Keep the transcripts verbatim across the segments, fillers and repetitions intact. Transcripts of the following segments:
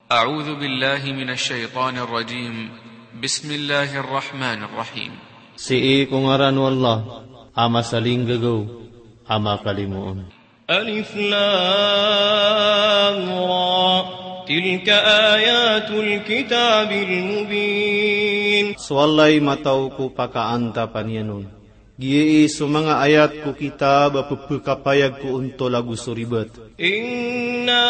أعوذ بالله من الشيطان الرجيم. بسم الله الرحمن الرحيم. Sii ko ngaran o Allah, a masalinggagaw, a makalimoon. ألف لام را. تلك آيات الكتاب المبين. So Allah i matao ko pakaantapan iyan on. Giyai so manga ayat ko kitab a pepekapayag ko ontol ago so ribat. إنا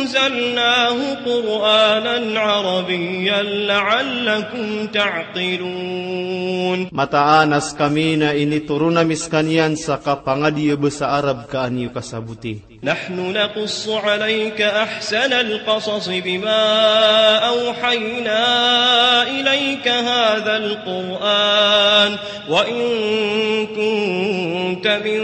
أنزلناه قرآنا عربيا لعلكم تعقلون. Mataan a sekami na initoron ami sekaniyan sa kapangadi a basa Arab ka an iyo kasaboti. نحن نقص عليك أحسن القصص بما أوحينا إليك هذا القرآن وإن كنت من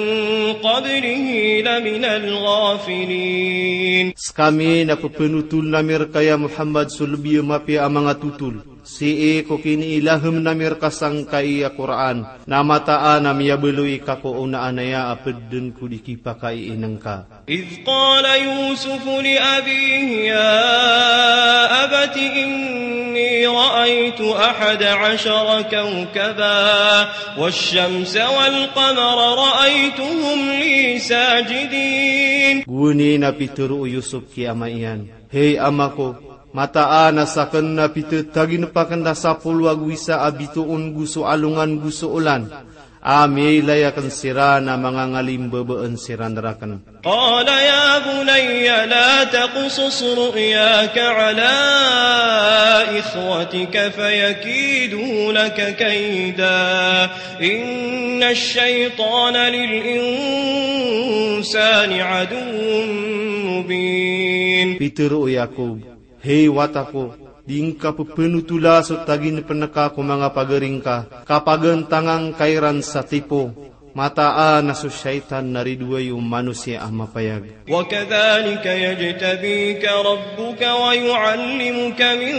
قبله لمن الغافلين. Sekami na pepenotoln ami reka ya Muhammad so lebi a mapiya a manga totol. Sii ko kiniilahem ami reka sangkai a Qur'an, na mataan a miyabaloy ka ko onaan aya a ped den ko di kipakaiineng ka. إذ قال يوسف لأبيه يا أبت إني رأيت أحد عشر كوكبا والشمس والقمر رأيتهم لي ساجدين. Gowani na pitero o Yusuf ki ama iyan, "Hey ama ko, mataan a saken na pitetaginep aken a sapolo ago isa a bitoon go so alongan go so olan, a miyailay aken siran a mangangalimbabaan siran raken." قال يا بني لا تقصص رؤياك على إخوتك فيكيدوا لك كيدا إن الشيطان للإنسان عدو مبين. Pitero o Yakob, "Hey wata ko, di ngka pepenotola so taginepen ka ko manga pagari ngka, ka pagantangan ka iran sa tipo. Mataan a so shaytan na ridoay o manosiya a mapayag." وكذلك يجتبيك ربك ويعلمك من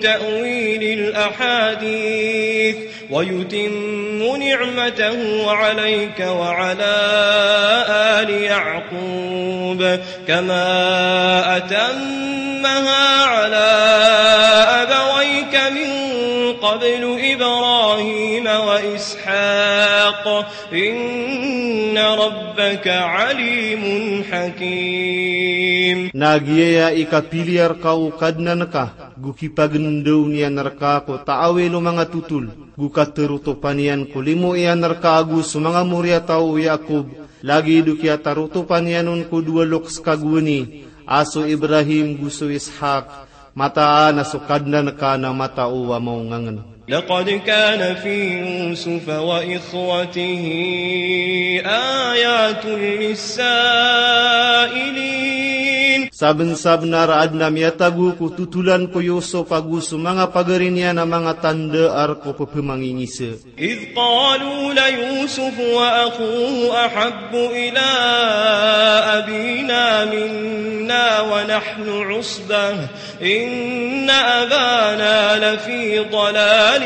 تأويل الأحاديث ويتم نعمته عليك وعلى آل يعقوب كما أتمها على أبويك من قبل إبراهيم وإسحاق إن ربك عليم حكيم. Na giyaya i kapiliya reka o Kadnan ka, go kipagendaw niyan reka ko taawil o manga totol, go katerotopan iyan ko limo iyan reka ago so manga moriyataw o Yakob, lagid o kiyatarotopan iyan on ko dowa lokes ka gowani, a so Ibrahim go so Ishak, mataan a so Kadnan ka na matao a maongangen. لقد كان في يوسف وإخوته آيات للسائلين. Sabensabenar a aden a miyatago ko totolan ko Yusuf ago so manga pagari niyan a manga tanda a rek o pepemangingisa. إذ قالوا ليوسف وأخوه أحب إلى أبينا منا ونحن عصبة إن أبانا لفي ضلال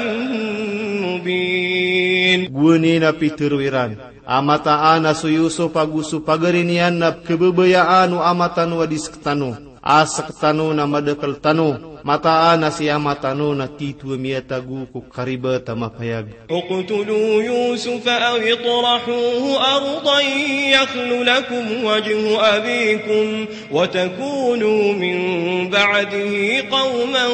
مبين. Gowani na pitero iran a mataan a so Yusuf ago so pagari niyan na pekebabayaan o ama tano a di sektano. A sektano na madakel tano, mataan a si ama tano na tito a miyatago ko karibat a mapayag. اقتلوا يوسف أو اطرحوه أرضا يخل لكم وجه أبيكم وتكونوا من بعده قوما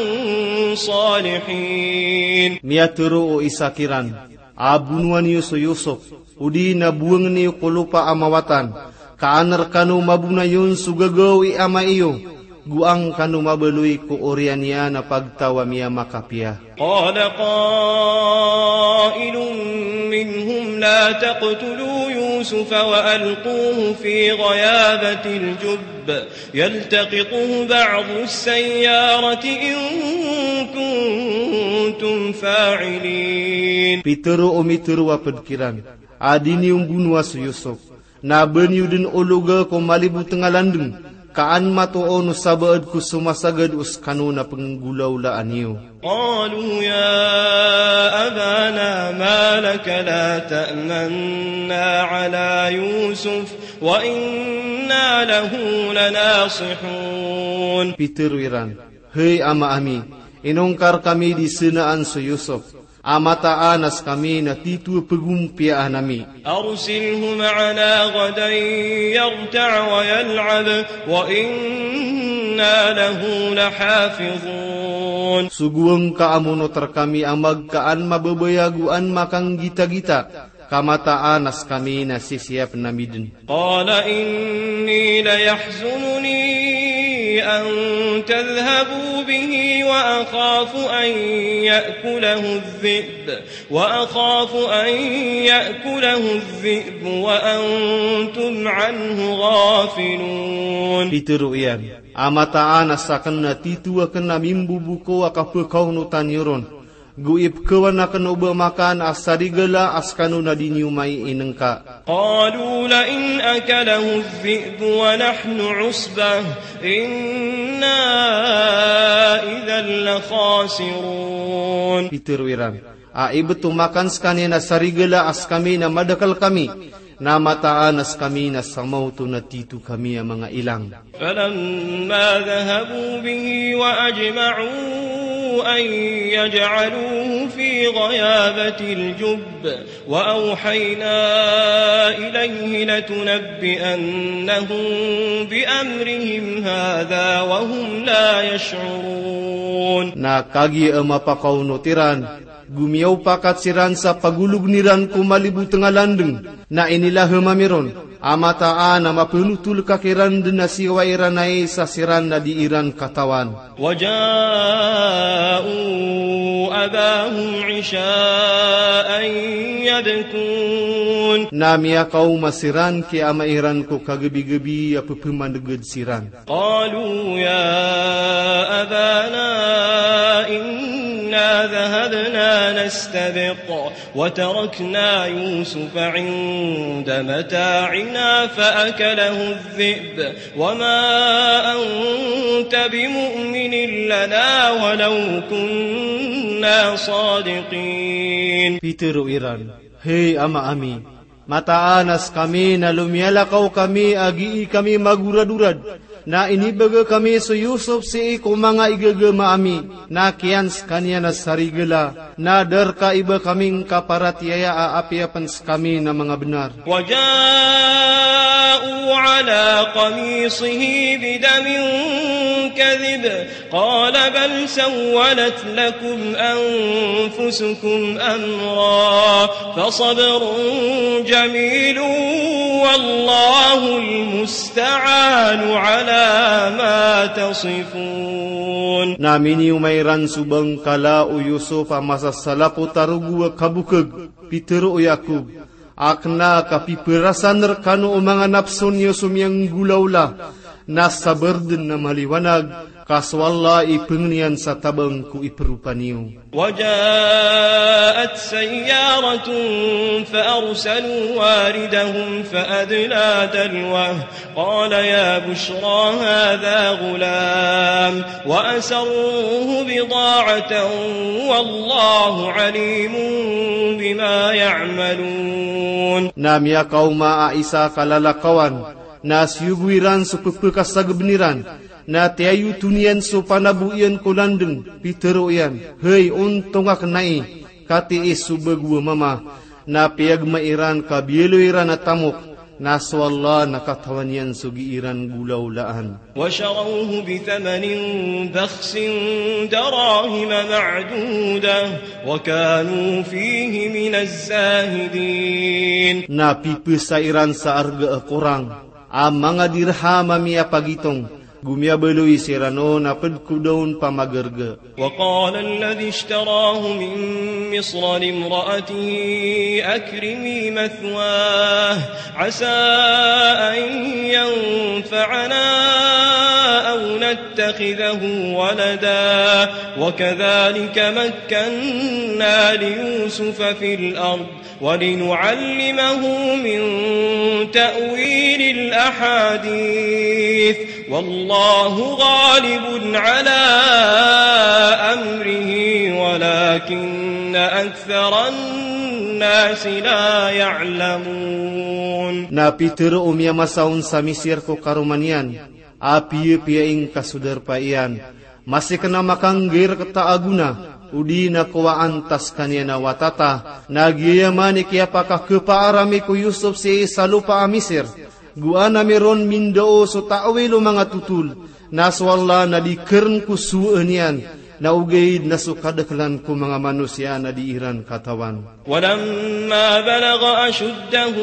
صالحين. Miyatero o isa kiran a bonoa niyo so Yusuf, odi na bowang niyo ko lopa a mawatan, ka an rekano mabonayon so gagaw i ama iyo, go an kano mabaloy ko oriyan iyan a pagtaw a miyamakapiya. قال قائل منهم لا تقتلوا يوسف وألقوه في غيابة الجب يلتقطه بعض السيارة إن كنتم فاعلين. Pitero o mitero a ped kiran a di niyo mbonoa so Yusuf, na ba niyo den ologa ko maliboteng a landeng, ka an matoon o sabaad ko somasagad o sekano na penggolawlaan iyo. قالوا يا أبانا ما لك لا تأمنا على يوسف وإنا له لناصحون. Pitharo iran, hay ama ami, inongkar kami di senaan so Yusuf, a mataan a sekami na tito a pegompiyaan ami. أرسله معنا غدا يرتع ويلعب وإنا له لحافظون. Sogoa ngka a monoter kami a magka an mababaya ago an makanggitagita, ka mataan a sekami na sisiyap ami den. قال إني ليحزنني أن تذهبوا به وأخاف أن يأكله الذئب وأخاف أن يأكله الذئب وأنتم عنه غافلون. Pitharo iyan, a mataan a saken na tito aken a mimbobokaw a kapekaonotan iyo ron, go ipekawan aken o ba makan a sarigala a sekano na di niyo mai inengka. قالوا لئن أكله الذئب ونحن عصبة إنا إذا لخاسرون. Pitharo iran, a ibet o makan sekaniyan a sarigala a sekami na madakel kami, na mataan a sekami na samaoto na tito kami a manga ilang. فلما ذهبوا به وأجمعوا أن يجعلوه في غيابة الجب وأوحينا إليه لتنبئنهم بأمرهم هذا وهم لا يشعرون. Na kagiya a mapakaonot iran, go miyaopakat siran sa pagologen iran ko malibo tengalandeng, na inilahem ami ron a mataan a mapenotol ka kiran den a siyowa iran ai sa siran na di iran katawan. وجاءوا أباهم عشاء يبكون. Na miyakaoma siran ki ama iran ko kagebigebi a pepemaneged siran. قالوا يا أبانا إنا ذهبنا نستبق وتركنا يوسف عند متاعنا فأكله الذئب وما أنت بمؤمن لنا ولو كنا صادقين. Pitharo iran, hay ama ami, mataan a sekami na lomiyalakaw kami a gii kami magoradorad, na inibegay kami so Yusuf sii ko manga igagama ami, na kiyan sekaniyan a sarigala, na da reka iba kami ngka paratiyaya a apiya pen sekami na manga benar. وجاءوا على قميصه بدم كذب قال بل سولت لكم أنفسكم أمرا فصبر جميل والله المستعان على ما تصفون. Na minioma iran so bangkala o Yusuf a masasalapo tarogo a kabokeg. Pitharo o Yakub, a kena a kapiperasan rekano o manga napso niyo so miyanggolawla, na sabar den a maliwanag, ka so Allah i pengeniyan sa tabang ko iperopa niyo. وجاءت سيارة فأرسلوا واردهم فأدلى دلوه قال يا بشرى هذا غلام وأسروه بضاعة والله عليم بما يعملون. Na miyakaoma a isa a kalalakawan, na siyogo iran so pepekasageben iran, na tiyayoton iyan so panabo iyan ko landeng, pitharo iyan, hay, ontong aken ai, ka tii so bago a mama, na piyagma iran ka biyaloy iran a tamok, na so Allah na katawan iyan so gii ran golawlaan. وشروه بثمن بخس دراهم معدودة وكانوا فيه من الزاهدين. Na pipesa iran sa arga a korang a manga dirham a miyapagitong, go miyabaloy siran on a ped ko da on pamagarga. وقال الذي اشتراه من مصر لامرأته أكرمي مثواه عسى أن ينفعنا أو نتخذه ولدا وكذلك مكنا ليوسف في الأرض ولنعلمه من تأويل الأحاديث والله غالب على أمره ولكن أكثر الناس لا يعلمون. Na pitharo o miyamasa on sa Misir ko karoma niyan, A piyapiya ingka so darpa iyan. Masi kna makanggair kta a gona, odi na kowaan ta skaniyan a wata ta, na giyaya man i kiyapakakapaaram i ko Yusuf sii sa lopa a Misir. Go ana miron mindao so ta'wil o manga totol, na so Allah na di kern ko sowaan iyan, na ogaid na so kadaklan ko manga manosiya na di iran katawan. ولما بلغ أشده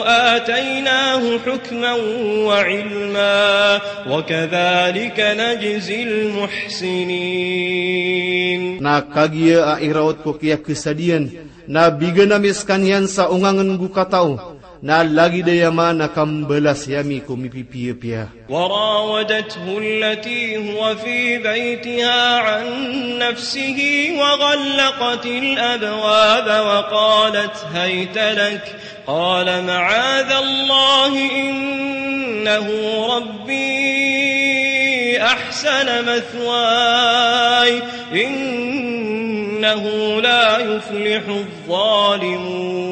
آتيناه حكما وعلما وكذلك نجزي المحسنين. Na kagiya a iraot ko kiyakasadiyan, na bigan ami skaniyan sa ongangen go katao, na lagid aya man a kambalasi ami ko mipipiyapiya. وراودته التي هو في بيتها عن نفسه وغلقت الأبواب وقالت هيت لك قال معاذ الله إنه ربي أحسن مثواي إنه لا يفلح الظالمون.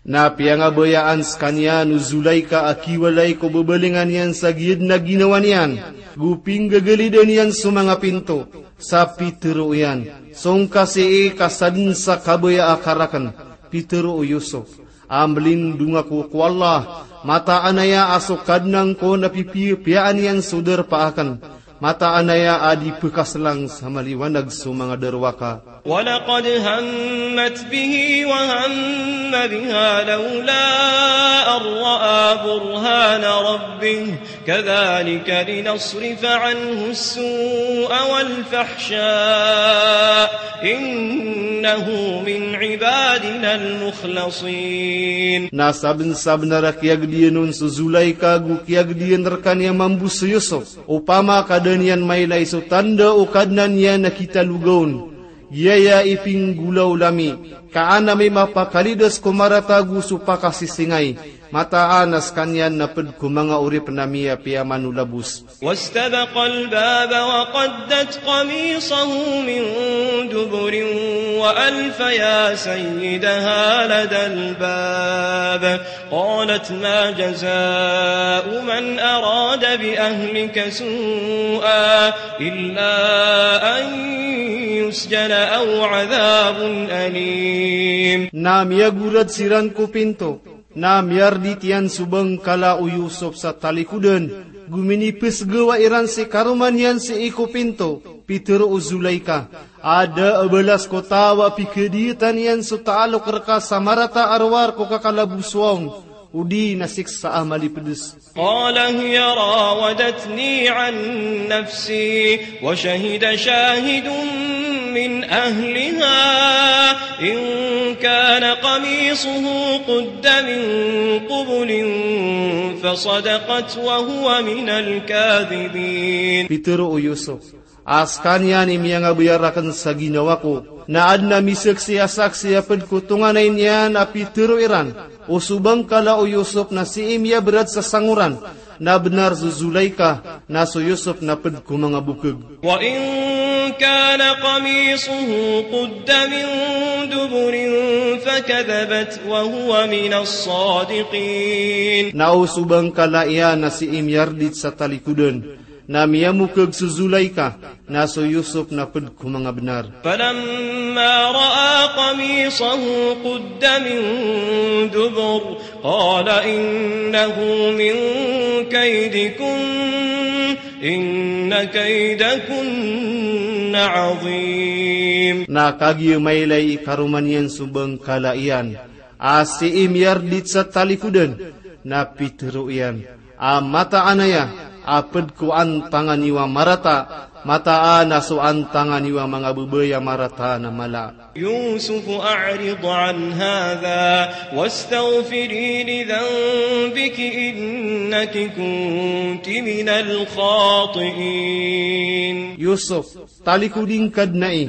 Na piyangabayaan skaniyan o Zulaika a kiwalay ko babalingan iyan sa giyadn a ginawa niyan, go pinggagalidan iyan so manga pinto, sa pitero iyan, song ka sii ka sadn sa kabaya a karakn, pitero o Yusuf, a mlindong ako ko Allah, mataan aya a so Kadnan ko na pipiyapiyaan iyan so darpa akn, mataan aya a di pkaslang sa maliwanag so manga darowaka. ولقد همت به وهم بها لولا أن رأى برهان ربه كذلك لنصرف عنه السوء والفحشاء إنه من عبادنا المخلصين. Na sabnsabnar a kiyagdiyan on so Zulaika go kiyagdiyan rkaniya mambo so Yusuf. Opama ka da niyan mailay so tanda o Kadnan iyan a kitaloga on, giyaya i pinggolawla mi, ka an ami mapakalidas ko marata go so pakasisingay, mataan a skaniyan na pd ko manga oripn ami a piyamanolabos. واستبق الباب وقدت قميصه من دبر وألف يا سيدها لدى الباب قالت ما جزاء من أراد بأهلك سوءا إلا أن يسجن أو عذاب أليم. Na miyagorad siran ko pinto, na miyardit iyan so bangkala o Yusuf sa talikodan, go minipsgawa iran si karoma niyan sii ko pinto, pitero o Zulaika, a da a balas ko taw a pikadiyatan iyan so taalok rka sa marata a rowar ko kakalabosowa on, odi na siksa a malipds. قال هي راودتني عن نفسي وشهد شاهد من أهلها إن كان قميصه قد من قبل فصدقت وهو من الكاذبين. Pitero o Yusuf, a skaniyan i miyangabaya rakn sa ginawa ko, na adn a misaksi a saksi a pd ko tonganay niyan a pitero iran, o so bangkala o Yusuf na sii miyabrad sa sangoran, na bnar so Zulaika, na so Yusuf na pd ko manga bokg. وإن كان قميصه قد من دبر فكذبت وهو من الصادقين. Na o so bangkala iyan na sii miyardit sa talikodan, na miyamokg so Zulaika, na so Yusuf na pd ko manga bnar. فلما رأى قميصه قد من دبر قال إنه من كيدكن إن كيدكن عظيم. Na kagiya mailay i karoma niyan so bangkala iyan, a sii miyardit sa talikodan, na pitero iyan, a mataan aya a pd ko antangan iyo a marata, mataan a so antangan iyo a manga babay a marata na mala. يوسف أعرض عن هذا واستغفري لذنبك إنك كنت من الخاطئين. Yusuf, talikodi ngka dn ai,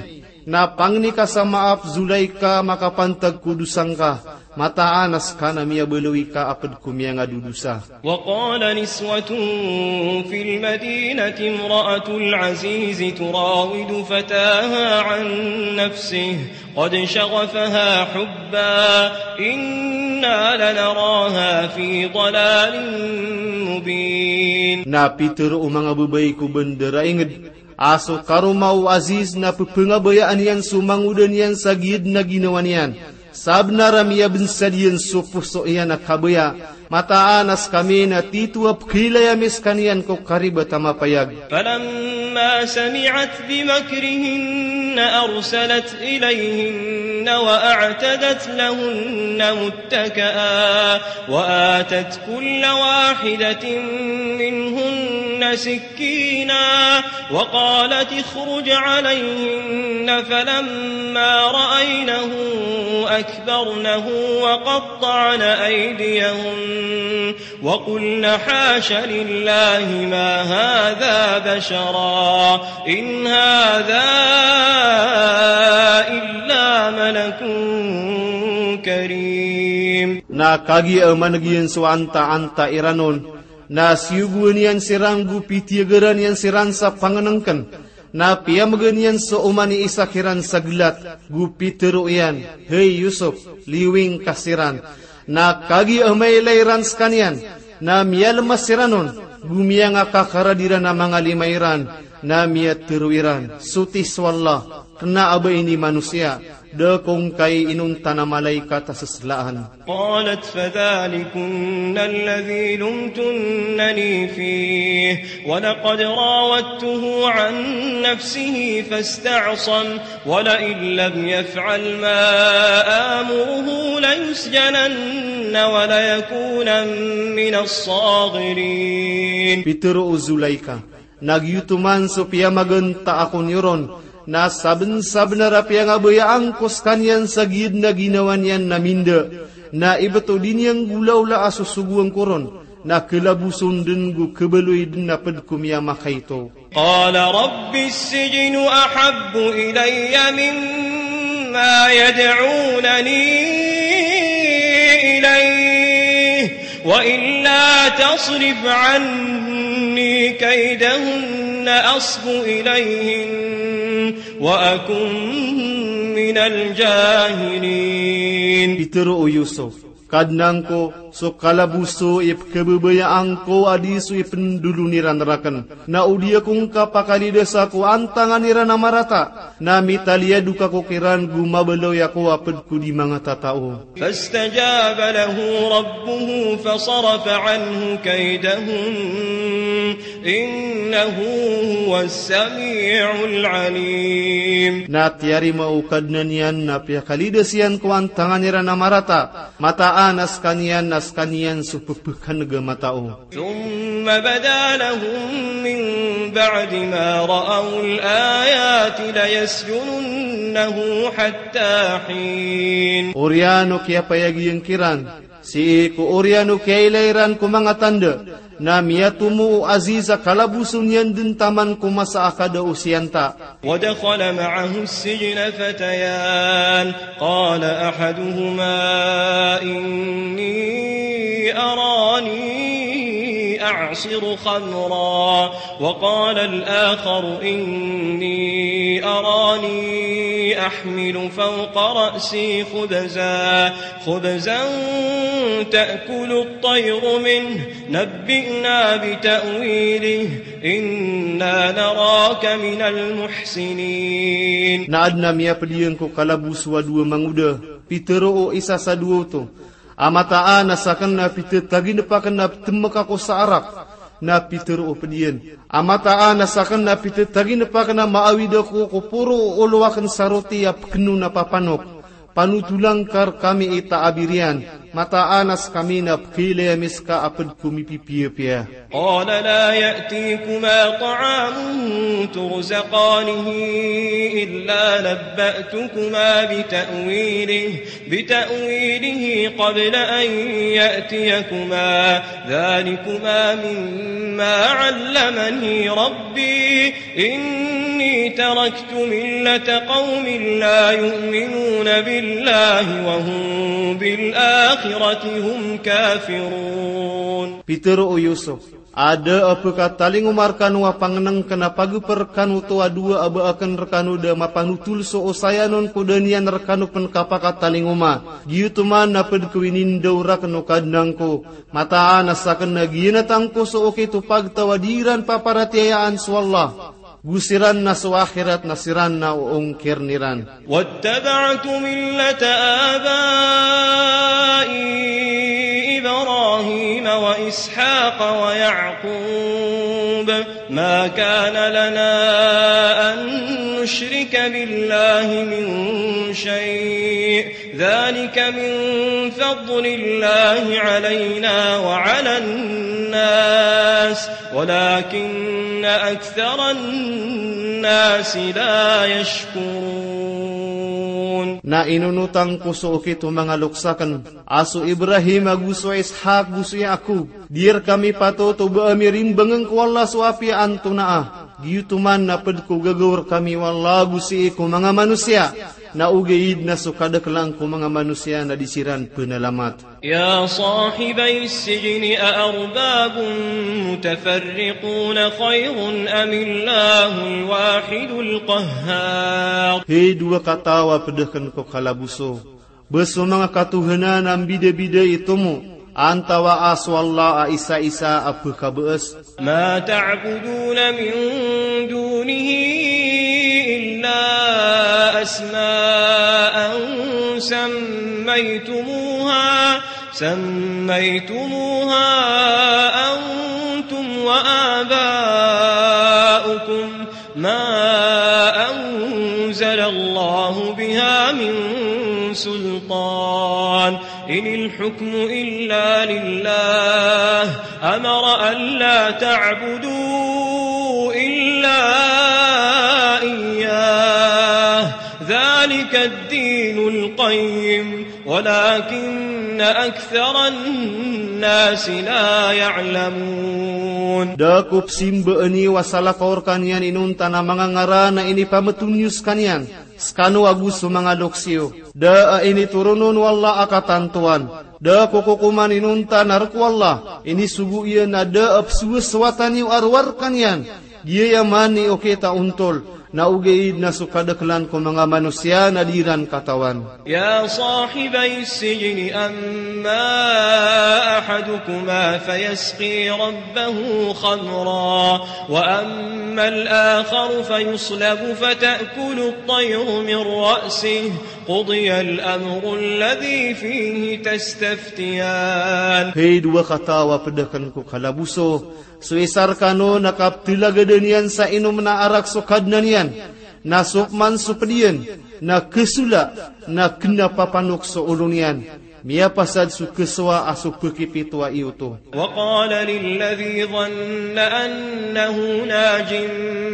na pangni ka sa maap Zulaika makapantag ko dosa ngka, mataan a ska na miyabaloy ka a pd ko miyangadodosa. وقال نسوة في المدينة امرأة العزيز تراود فتاها عن نفسه قد شغفها حبا إن إنا لنراها في ضلال مبين. Na pitharo o manga babay ko bandara inged a so karoma o Aziz na pephangabayaan iyan so mangoda niyan sa giya den a ginawa niyan. Sabnar a miyabansad iyan so poso iyan a kabaya. Mataan a sekami na titho a pekhailay ami sekaniyan ko karibat a mapayag. فلما سمعت بمكرهن أرسلت إليهن وأعتدت لهن متكئا وآتت كل واحدة منهن سكينا وقالت اخرج عليهن فلما رأينه أكبرنه وقطعن أيديهن وقلن حاش لله ما هذا بشرا إن هذا إلا ملك كريم. Na kagiya a maneg iyan so antaanta iran on, na siyogoan iyan siran go pitiyagaran iyan siran sa pangenengken. Na piyamegen iyan so oman i isa kiran sa gelat, go pitharo iyan, "Hay Yusuf, liwing ka siran." Na kagiya a mailay iran sekaniyan, na miyalemas siran on, go miyangakakarad iran a manga lima iran, na miyatharo iran, "Soti so Allah, kena a ba ini manosiya, da ko ngkai inonta na malaikat a seslaan." قالت فذلكن الذي لمتنني فيه ولقد راودته عن نفسه فاستعصم ولئن لم يفعل ما آمره ليسجنن وليكونا من الصاغرين. Pitharo o Zulaikha, na giyoto man so piyamagenta ako niyo ron, na sabensabenar a piyangabayaan ko sekaniyan sa giya den a ginawa niyan na minda, na ibt o di niyan golaola a sosogoan ko ron, na kelaboson den go kebaloy den a ped ko miyamakaito. قال رب السجن أحب إلي مما يدعونني إليه وإلا تصرف عني كيدهن أصب إليهن وأكن من الجاهلين. Pitharo o Yusuf, "Kadnan ko, so kalaboso i pekebabayaan ko a di so ipendolon iran raken. Na o di ako ngka pakalidasa ko antangan iran a marata, na mitaliyadok ako kiran go mabaloy ako a ped ko di mangatatao." فاستجاب له ربه فصرف عنه كيدهن إنه هو السميع العليم. Na tiyarima o Kadnan iyan na piyakalidas iyan ko antangan iran a marata, mataan a sekaniyan na sekaniyan so pepekaneg a matao. ثم بدا لهم من بعد ما رأوا الآيات ليسجننه حتى حين. Oriyan o kiyapayag iyan kiran, sii ko oriyan o kiyailay iran ko manga tanda, na miyatomo o Aziz a kalaboson iyan den taman ko masa a kada o siyanta. ودخل معه السجن فتيان، قال أحدهما إني أراني أعصر خمرا، وقال الآخر إني أراني أحمل فوق رأسي خبزا، خبزا تأكل الطير منه، نبئنا بتأويله، إنا نراك من المحسنين. Na aden a miyaped iyan ko kalaboso a dowa mangoda, pitharo o isa sa dowa oto a mataan a saken na pitataginep aken a petemek ako sa arak, na pitharo o ped iyan a mataan a saken na pitataginep aken a maawid ako ko poro o olo aken sa roti a pekeno na papanok. Panotolang ka rekami i taabir iyan, mataan a sekami na pekeilay ami seka a ped ko mipipiyapiya. قال لا يأتيكما طعام ترزقانه إلا نبأتكما بتأويله، بتأويله قبل أن يأتيكما، ذلكما مما علمني ربي، إني تركت ملة قوم لا يؤمنون بالله وهم بالآخرة وبالآخرة هم كافرون. Pitharo o Yusuf, a da a pkatalingoma rkano a pangnngkn a pagpr rkano oto a dowa a ba akn rkano da mapanotol so osayan on ko da niyan rkano pn kapakatalingoma. Giyoto man a pd ko inindaw rakn o Kadnan ko, mataan a sakn na giyanatan ko so okit o pagtaw a di iran paparatiyayaan so Allah. Go siran na so akhirat na siran na o ongkirn iran. واتبعت ملة آبائي إبراهيم وإسحاق ويعقوب ما كان لنا أن نشرك بالله من شيء ذلك من فضل الله علينا وعلى الناس ولكن أكثر الناس لا يشكرون. Na inonotan ko so okit o manga loks akn, a so Ibrahim ago so Ishaq ago so Yaqub. Di rkami patot o ba ami rimbangn ko Allah so apiya antonaa. Giyoto man a pd ko gagaw rkami o Allah ago sii ko manga manosiya. Na ogaid na so kadaklan ko manga manosiya na di siran pnalamat. يا صاحبي السجن أأرباب متفرقون خير أم الله الواحد القهار. Hay dowa kataw a pd akn ko kalaboso. Ba so manga katohanan a mbidabida i tomo, antawaa so Allah a isa-isa a pkhabaas. ما تعبدون من دونه إلا أسماء سميتموها، سميتموها أنتم وآباؤكم ما أنزل الله بها من سلطان إن الحكم إلا لله أمر ألا تعبدوا إلا إياه ذلك الدين القيم ولكن أكثر الناس لا يعلمون. Da ko psimbaan iyo a salakaw rkaniyan inonta na manga ngaran a inipamtoniyo skaniyan, skano ago so manga loks iyo. Da a initoron on o Allah a katantowan. Da ko kokoman inonta na rk o Allah, inisogo iyan a da a pzowasowatan iyo a rowar rkaniyan. Giyaya man i okit a ontol, na ogaid na so kadaklan ko manga manosiya na di iran katawan. يا صاحبي السجن أما أحدكما فيسقي ربه خمرا وأما الآخر فيصلب فتأكل الطير من رأسه قضي الأمر الذي فيه تستفتيان. Hay dowa kataw a pd akn ko kalaboso, so isa rkano na kaptlagadn iyan sa inom na arak so Kadnan iyan, na so pman so pd iyan, na khasola, na kna papanok so olo niyan. Miyapasad so khasowa a so pkhipitowa iyo oto. وقال للذي ظن أنه ناج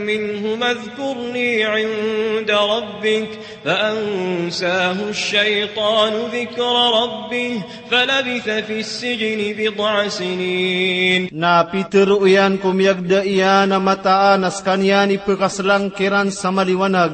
منهما اذكرني عند ربك فأنساه الشيطان ذكر ربه فلبث في السجن بضع سنين. Na pitharo iyan ko miyagda iyan a mataan a skaniyan i pkhaslangkiran sa maliwanag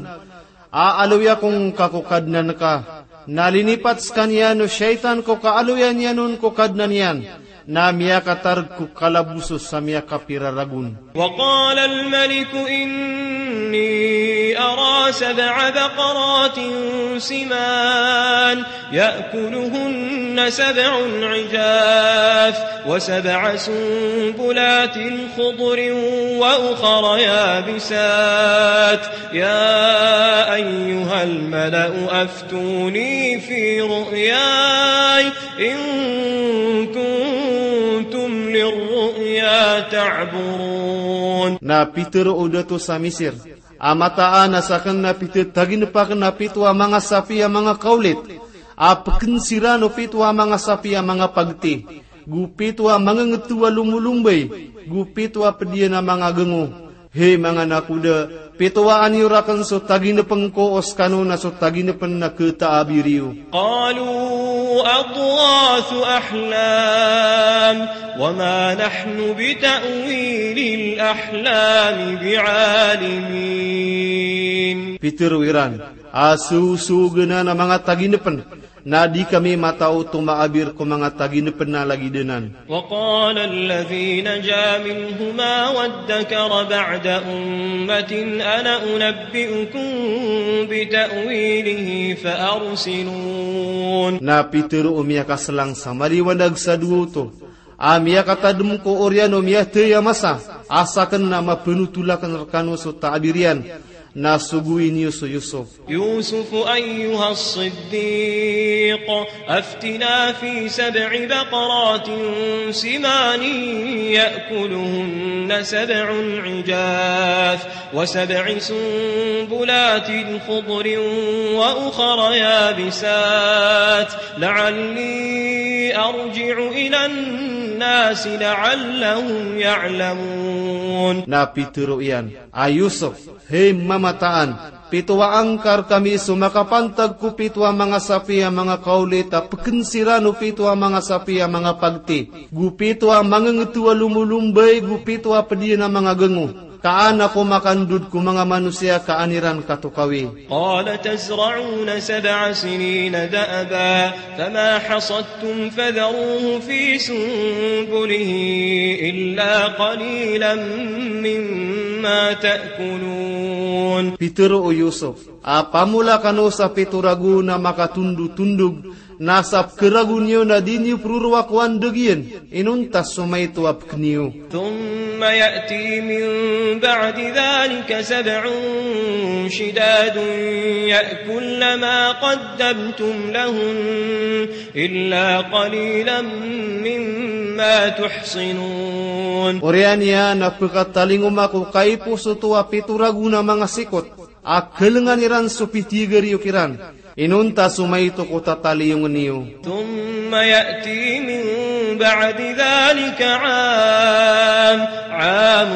a aloya ko ngka ko Kadnan ka. Na linipat skaniyan o shaytan ko kaaloya niyan on ko Kadnan iyan. Na miyakatarg ko kalaboso sa miyakapira ragon. وقال الملك إني أرى سبع بقرات سمان يأكلهن سبع عجاف وسبع سنبلات خضر وأخر يابسات يا أيها الملأ أفتوني في رؤياي إن كنتم للرؤيا تعبرون. Na pitharo o dato sa Misir a mataan a sakn na pithataginp akn a pito a manga sapi a manga kaolit a pknsiran o pito a manga sapi a manga pagti, go pito a manga ngto a lomolombay, go pito a pd iyan a manga gango. Hay manga nakoda, pitowa aniyo rakn so taginpn ko o skano na so taginpn na khataabi riyo. قالوا أضغاث أحلام وما نحن بتأويل الأحلام بعالمين. Pitharo iran a sosoganan a manga taginpn Na di kami mataw tomaabir ko manga taginepena lagid anan. وقال الذي نجا منهما وادكر بعد أمة أنا أنبئكم بتأويله فأرسلون. Na pitero o miyakaselang sa maliwanag sa dowa oto a miyakatadem ko oriyan o miyathay a masa a saken na mapenotol aken rekano so taabir iyan, na sogowi niyo so Yusuf. يوسف أيها الصديق أفتنا في سبع بقرات سمان يأكلهن سبع عجاف وسبع سنبلات خضر وأخر يابسات لعلي أرجع إلى الناس لعلهم يعلمون. Na pitero iyan a Yusuf, hay mamataan, pito a angka rekami so makapantag ko pito a manga sapi a manga kaolit a peken siran o pito a manga sapi a manga pagti, go pito a mangengetowa lomolombay, go pito a pediyen a manga gengo. Ka an ako makandod ko manga manosiya ka an iran katokawi. قال تزرعون سبع سنين دأبا فما حصدتم فذروه في سنبله إلا قليلا مما تأكلون. Pitero o Yusuf a pamola kano sa pito ragon a makatondotondog, na sa pekeragon iyo na di niyo perorowa ko andeg iyan, inonta so maito a peken iyo. ثم يأتي من بعد ذلك سبع شداد يأكلن ما قدمتم لهن إلا قليلا مما تحصنون. Oriyan iyan na pekatalingoma ko kaiposoto a pito ragon a manga sikot a kelengan iran so pitiyeger iyo kiran. Inonta so maito ko tataliyongen iyo. ثم يأتي من بعد ذلك عام، عام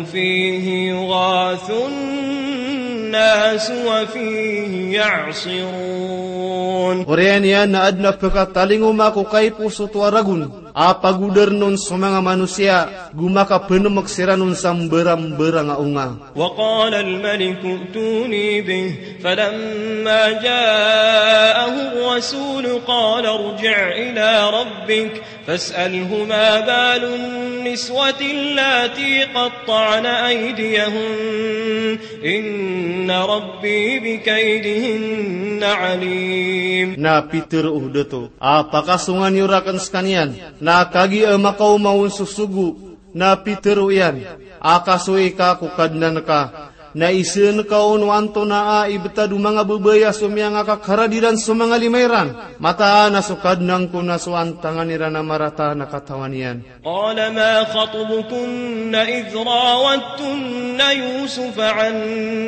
فيه يغاث الناس وفيه يعصرون. Oriyan iyan na aden a pekatalingoma ko kaiposoto a ragon a pagodaren on so manga manosiya, go makapenemek siran on sa mbarambarang a onga. وقال الملك ائتوني به فلما جاءه الرسول قال ارجع إلى ربك فاسأله ما بال النسوة اللاتي قطعن أيديهن إن ربي بكيدهن عليم. Na pitero o dato a pakasongan iyo raken sekaniyan, na kagiya makaoma on so sogo. Na pitero iyan a kasoy ka ko Kadnan ka, na iseen ka on o antonaa i betad o manga babay a so miyangakakarad iran so manga lima iran. Mataan a so Kadnan ko na so antangan iran a marata na katawan iyan. قال ما خطبكن إذ راودتن يوسف عن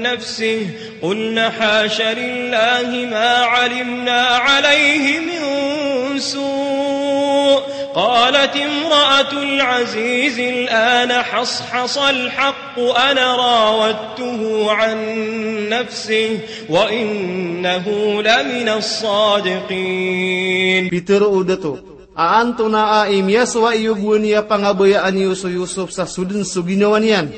نفسه قلن حاش لله ما علمنا عليه من سوء قالت امرأة العزيز الآن حصحص الحق أنا راودته عن نفسه وإنه لمن الصادقين. Pitero o dato a antonaa i miyasowa iyo gowani a pangabayaan iyo so Yusuf sa so den so ginawa niyan.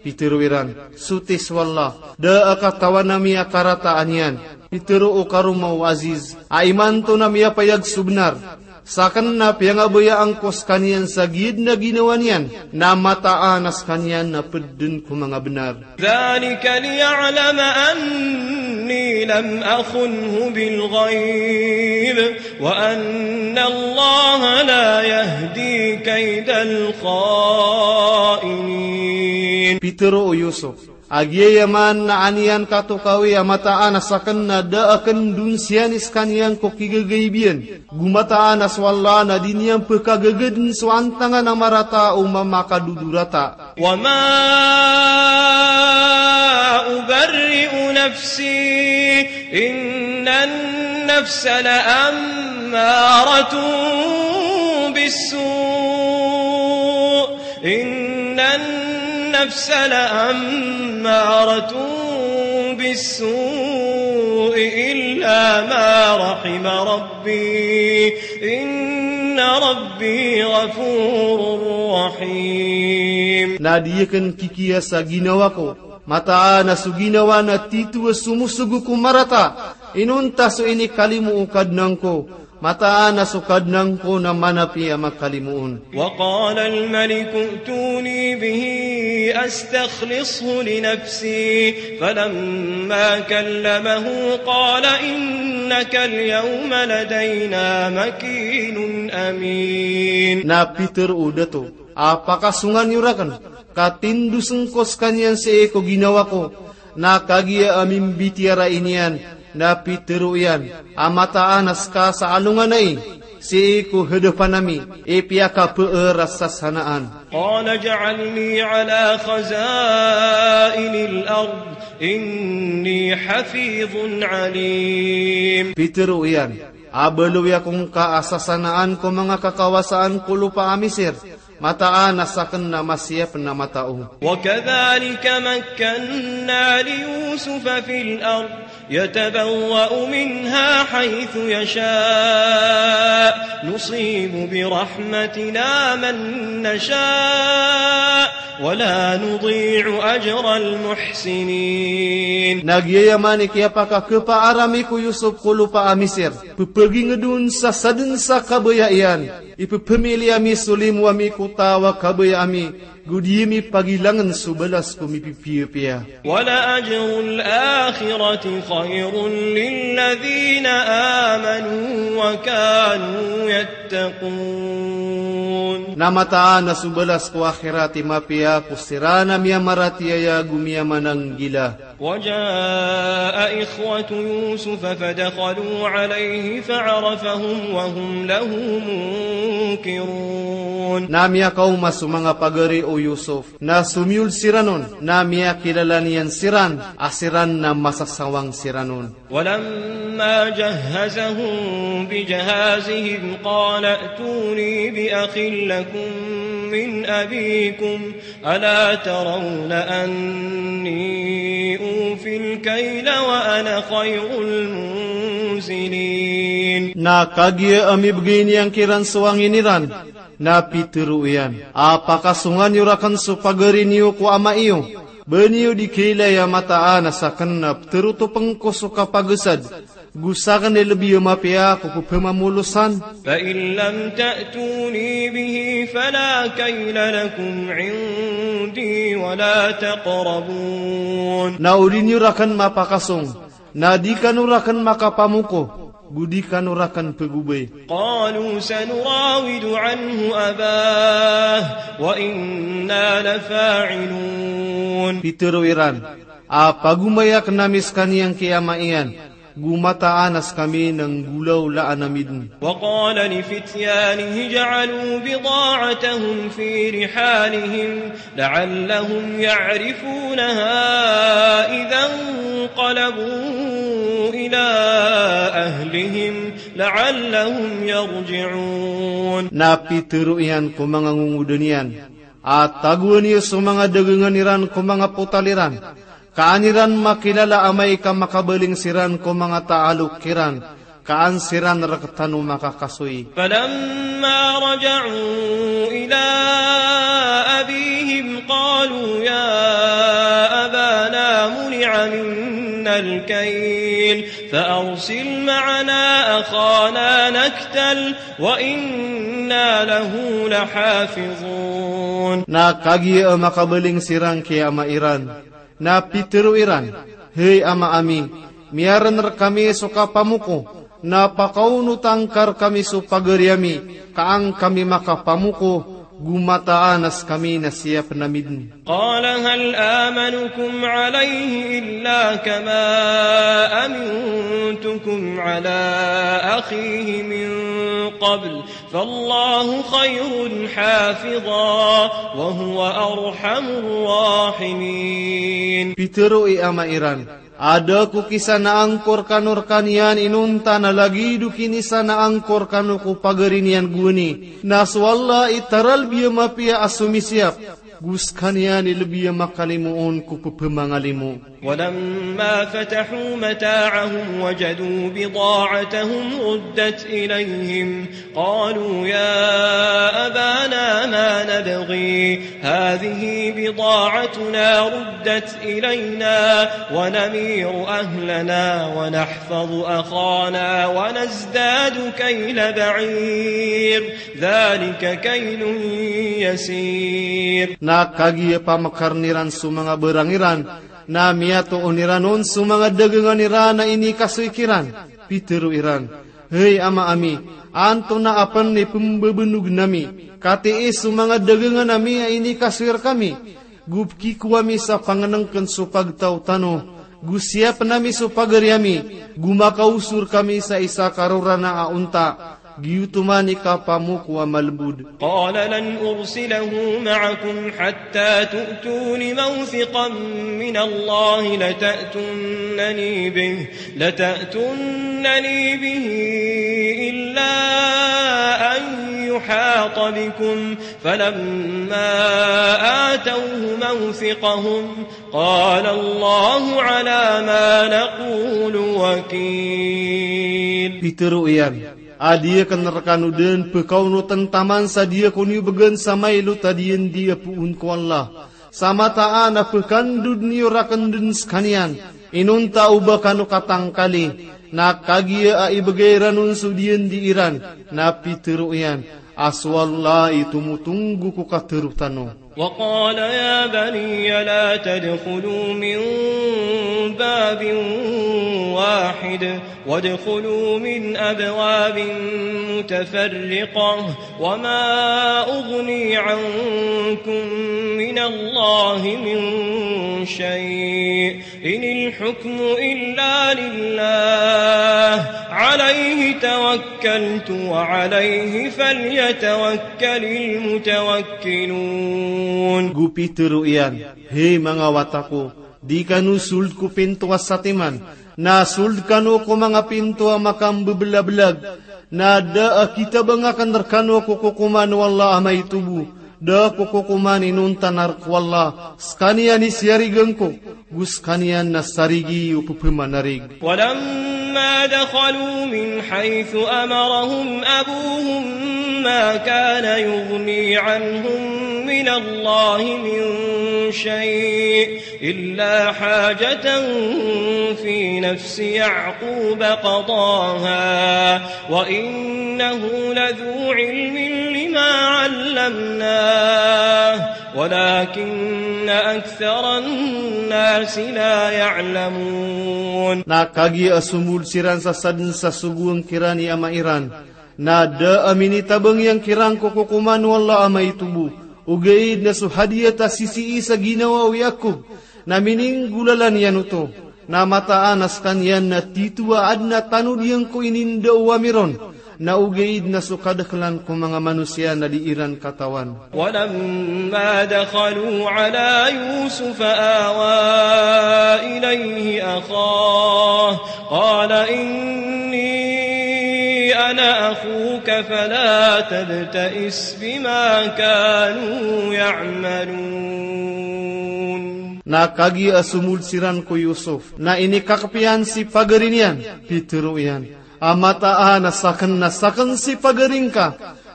Pitero iran, soti so Allah, da a katawan ami a karataan iyan. Pitero o karoma o Aziz a imanto na miyapayag so benar. Saken na piyangabayaan ko sekaniyan sa giyaden a ginawa niyan, na mataan a sekaniyan na ped den ko manga benar. ذلك ليعلم أني لم أخنه بالغيب وأن الله لا يهدي كيد الخائنين. Pitero o Yusuf a giyaya man na an iyan katokawi a mataan a saken na da a kendon siyan i sekaniyan ko kigagaibiyan. Go mataan a so Allah na di niyan pekagagaden so antangan a marata o mamakadodorata. وما أبرئ نفسي إن النفس لأمارة بالسوء إن النفس لأمارة بالسوء إلا ما رحم ربي إن ربي غفور رحيم. Na di aken kikiya sa ginawa ko, mataan a so ginawa na tito a somosogo ko marata, Inonta so inikalimo o Kadnan ko, mataan a so Kadnan ko na manapiya makalimoon. وقال الملك ائتوني به أستخلصه لنفسي فلما كلمه قال إنك اليوم لدينا مكين أمين. Na pitharo o dato a pakasongan iyo rakn ka tindosen ko skaniyan sii ko ginawa ko, na kagiya a mimbitiyarai niyan, na pitharo iyan a mataan a ska sa alongan ai sii ko hadapan ami i piyakapeer a sasanaan. قال اجعلني على خزائن الأرض إني حفيظ عليم. Pitharo iyan a baloy ako ngka a sasanaan ko manga kakawasaan ko lopa a Misir, mataan a sakn na masiyap na matao. وكذلك مكنا ليوسف في الأرض يتبوأ منها حيث يشاء نصيب برحمتنا من نشاء ولا نضيع أجر المحسنين. Na giyaya man i kiyapakakhapaar ami ko Yusuf ko lopa a Misir, pphagingd on sa sadn sa kabaya iyan, ipphmili ami so limo ami ko taw a kabaya ami, go di ami pagilangn so balas ko mipipiyapiya. ولأجر الآخرة خير للذين آمنوا وكانوا يتقون. Na mataan a so balas ko akhirat i mapiya ko siran a miyamaratiyaya go miyamananggila. وجاء إخوة يوسف فدخلوا عليه فعرفهم وهم له منكرون. Na miyakaoma so manga pagari o Yusuf, na somiyol siran on, na miyakilala niyan siran a siran na masasawang siran on. ولما جهزهم بجهازهم قال ائتوني بأخ لكم من أبيكم ألا ترون أني أوفي الكيل وأنا خير المنزلين. Na kagiya a mibgay niyan kiran so angin iran, na pitharo iyan a pakasongan iyo rakn so pagari niyo ko ama iyo, ba niyo di kailay a mataan a sakn na ptharotopn ko so kapagasad, go sakn i lbi a mapiya ko pphamamolosan. فإن لم تأتوني به فلا كيل لكم عندي ولا تقربون. Na o di niyo rakn mapakasong, na di kano rakn makapamoko, go di kano rakn pgobay. قالوا سنراود عنه أباه وإنا لفاعلون. Pitharo iran a pagomayaken ami skaniyan ki ama iyan, go mataan a skami na nggolawlaan ami dn. وقال لفتيانه اجعلوا بضاعتهم في رحالهم لعلهم يعرفونها إذا انقلبوا إلى أهلهم لعلهم يرجعون. Na pitharo iyan ko manga ngongoda niyan a tagoan iyo so manga dagangan iran ko manga potal iran, ka an iran makilala amay ka makabaling siran ko manga taalok iran, ka an siran rktano makakasoy. فلما رجعوا إلى أبيهم قالوا يا أبانا منع منا الكيل فأرسل معنا أخانا نكتل وإنا له لحافظون. Na kagiya a makabaling siran ki ama iran, na pitharo iran, hay ama ami, miyaren rkami so kapamoko, na pakaonot angka rkami so pagari ami, ka an kami makapamoko, go mataan a skami na siyapn ami dn. قال هل آمنكم عليه إلا كما أمنتكم على أخيه من قبل فالله خير حافظا وهو أرحم الراحمين. Pitharo i ama iran, a da ko kisanaan ko rkano rkaniyan inonta na lagid o kinisanaan ko rkano ko pagari niyan gowani, na so Allah i taralbi a mapiya a somisiyap, go skaniyan i lbi a makalimoon ko pphamangalimo. ولما فتحوا متاعهم وجدوا بضاعتهم ردت إليهم قالوا يا أبانا ما نبغي هذه بضاعتنا ردت إلينا ونمير أهلنا ونحفظ أخانا ونزداد كيل بعير ذلك كيل يسير. Na kagiya pamkaren iran so manga barang iran, na miyatoon iran on so manga dagangan iran a inikasoy kiran. Pitero iran, "Hay ama ami, antonaa pen i pembebenog nami? Katii so manga dagangan ami a inikasoy rekami. Go pekikowa mi sa pangenengken so pagtaw tano. Go siyapen ami so pagari ami. Go makaosor kami sa isa ka rorana a onta." Giyoto man i kapamoko a malebod. قال لن أرسله معكم حتى تؤتون موثقا من الله لتأتونني به، لتأتونني به إلا أن يحاط بكم، فلما آتوه موثقهم قال الله على ما نقول وكيل. Pitero iyan, a di aken rekano den pekaonoten taman sa di ako niyo begen sa mailot a diyandi a poon ko Allah. Sa mataan a pekandod niyo raken den sekaniyan, inonta o ba kano katangkali. Na kagiya a ibegay iran on so diyandi iran, na pitero iyan a so Allah i tomotonggo ko katero tano. وقال يا بني لا تدخلوا من باب واحد وادخلوا من أبواب متفرقة وما أغني عنكم من الله من شيء إن الحكم إلا لله عليه توكلت وعليه فليتوكل المتوكلون. Go pitero iyan, "Hay manga wata ko, di kano sold ko pinto a satiman, na sold kano ko manga pinto a makambebelabelag, na da a kitabang aken rekano ko kokoman o Allah a maito bo, da ko kokoman inonta na rek o Allah, sekaniyan i siyarigan ko, go sekaniyan na sarigi o pepemanarig." ولما دخلوا من حيث أمرهم أبوهم ما كان يغني عنهم من الله من شيء إلا حاجة في نفس يعقوب قضاها وإنه لذو علم لما علمناه ولكن أكثر الناس لا يعلمون. Na kagiya a somold siran sa saden sa sogoan kiran i ama iran, na da a minitabang iyan kiran ko kokoman o Allah a maito bo, ogaid na so hadiyat a sisii sa ginawa o Yakob, na mininggolalan iyan oto. Na mataan a sekaniyan na tito a aden a tanod iyan ko ininda o ami ron, na ogaid na so kadekelan ko manga manosiya na di iran katawan. ولما دخلوا على يوسف آوى إليه أخاه قال إني أنا أخوك فلا تبتئس بما كانوا يعملون. Na kagiya a somold siran ko Yusuf, na inikakep iyan si pagari niyan, pitero iyan a mataan a saken na saken si pagari ngka,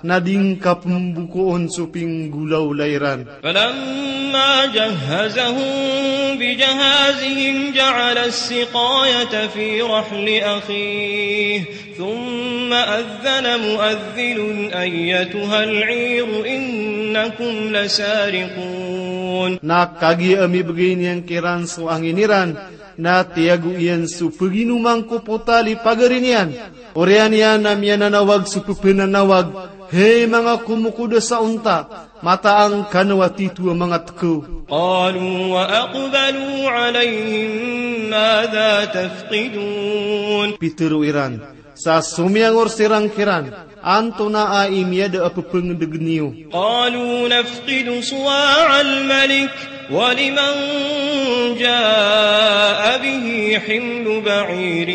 na di ngka pembokoon so pinggolawla iran. فلما جهزهم بجهازهم جعل السقاية في رحل أخيه ثم أذن مؤذن أيتها العير إنكم لسارقون. Na kagiya a mibegay niyan kiran so angin iran, na tiyago iyan so peginoman ko potal i pagari niyan. Oriyan iyan na miyananawag so pepenanawag, "Hay manga komokoda sa onta, mataan kano a tito a manga tekaw." قالوا وأقبلوا عليهم ماذا تفقدون. Pitero iran, sa somiyangor siran kiran, "Antonaa i miyada a pepengedegen iyo?" قالوا نفقد صواع الملك ولمن جاء به حمل بعير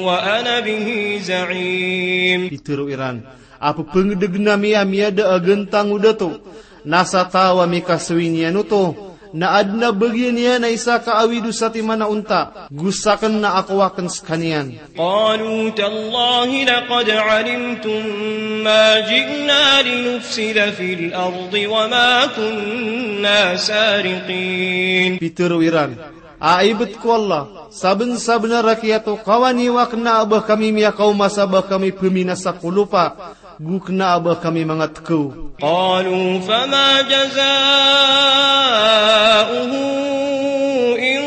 وأنا به زعيم. Pitero iran, "A pepengedegen ami a miyada a gentang o dato, na sa taw a mikasoy niyan oto, Na adn a bagian iyan a isa ka awid o satiman a onta, go sakn na akowa akn skaniyan. قالوا تالله لقد علمتم ما جئنا لنفسد في الأرض وما كنا سارقين. Pitharo iran, a ibt ko Allah, sabnsabnar a kiyatokawan iyo a kna a ba kami miyakaoma sa ba kami pminasa ko lopa, go kna a ba kami manga tkaw. قالوا فما جزاؤه إن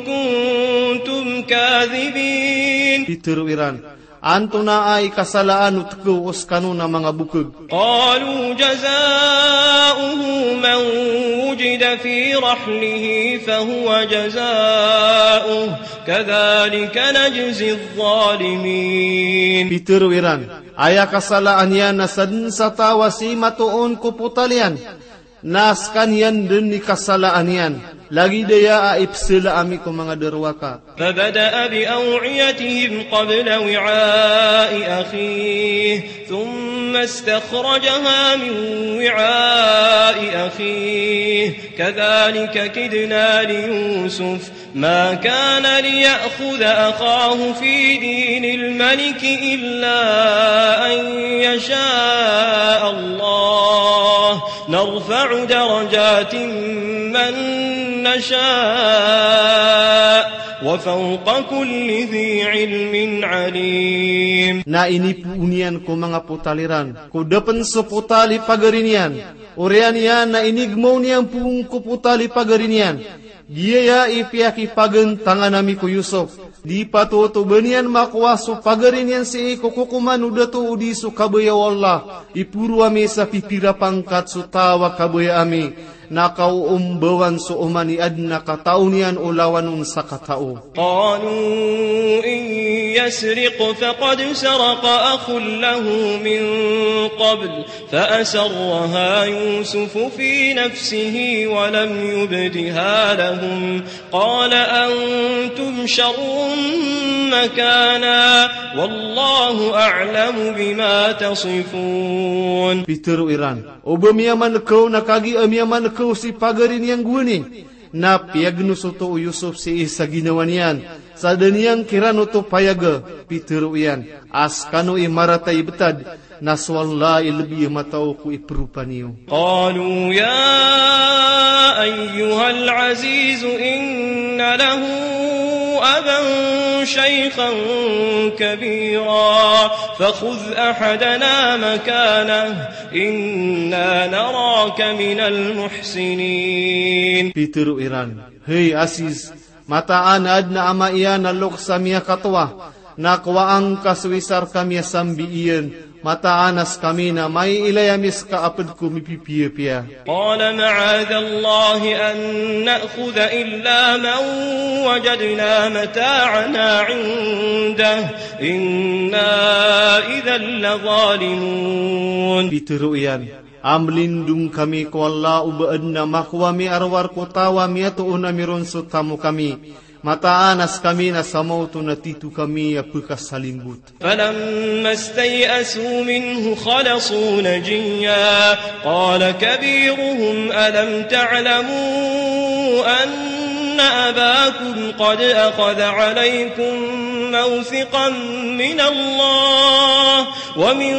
كنتم كاذبين. Pitharo iran, antonaa i kasalaan o tkaw o skano na manga bokg? قالوا جزاؤه من وجد في رحله فهو جزاؤه كذلك نجزي الظالمين. Pitharo iran, aya kasalaan iyan na sadn sa taw a sii matoon ko potal iyan, na skaniyan dn i kasalaan iyan, lagid aya a ipsala ami ko manga darowaka. فبدأ بأوعيتهم قبل وعاء أخيه ثم استخرجها من وعاء أخيه كذلك كدنا ليوسف ما كان ليأخذ أخاه في دين الملك إلا أن يشاء الله نرفع درجات من نشاء وفوق كل ذي علم عليم. Na inipoon iyan ko manga potal iran, ko da pn so potal i pagari niyan. Oriyan iyan na inigmaw niyan poon ko potal i pagari niyan. Giyaya i piyakipagantangan ami ko Yusuf. Di patoto ba niyan makowa so pagari niyan sii ko kokoman o dato odi so kabaya o Allah. Iporo ami sa pipira pangkat so taw a kabaya ami. Na kaoombawan so oman i adn a katao niyan o lawan on sa katao. قالوا إن يسرق فقد سرق أخ له من قبل فأسرها يوسف في نفسه ولم يبدها لهم قال أنتم شر مكانا والله أعلم بما تصفون. Pitharo iran, o ba miyamankaw na kagiya miyamankaw si pagari niyan gowani, na piyagnosoto o Yusuf sii sa ginawa niyan, sa da niyan kiran oto payaga. Pitharo iyan, a skano i marata i btad, na so Allah i lbi a matao ko ipropa niyo. قالوا يا أيها العزيز إن له أبا شيخا كبيرا فخذ أحدنا مكانه إنا نراك من المحسنين. Pitharo iran, hay Aziz, mataan a adn a ama iyan a loks a miyakatowa, na kowaa ngka so isa rkami a sambi iyan, mataan a skami na maiilay ami ska a pd ko mipipiyapiya. قال معاذ الله أن نأخذ إلا من وجدنا متاعنا عنده إنا إذا لظالمون. Pitharo iyan, a mlindong kami ko Allah o ba adn a makowa mi a rowar ko taw a miyatoon ami ron so tamok ami. Mataan a skami na sa maoto na tito kami a pkasalimbot. فلما استيئسوا منه خلصوا نجيا قال كبيرهم ألم تعلموا أن أباكم قد أخذ عليكم موثقا من الله ومن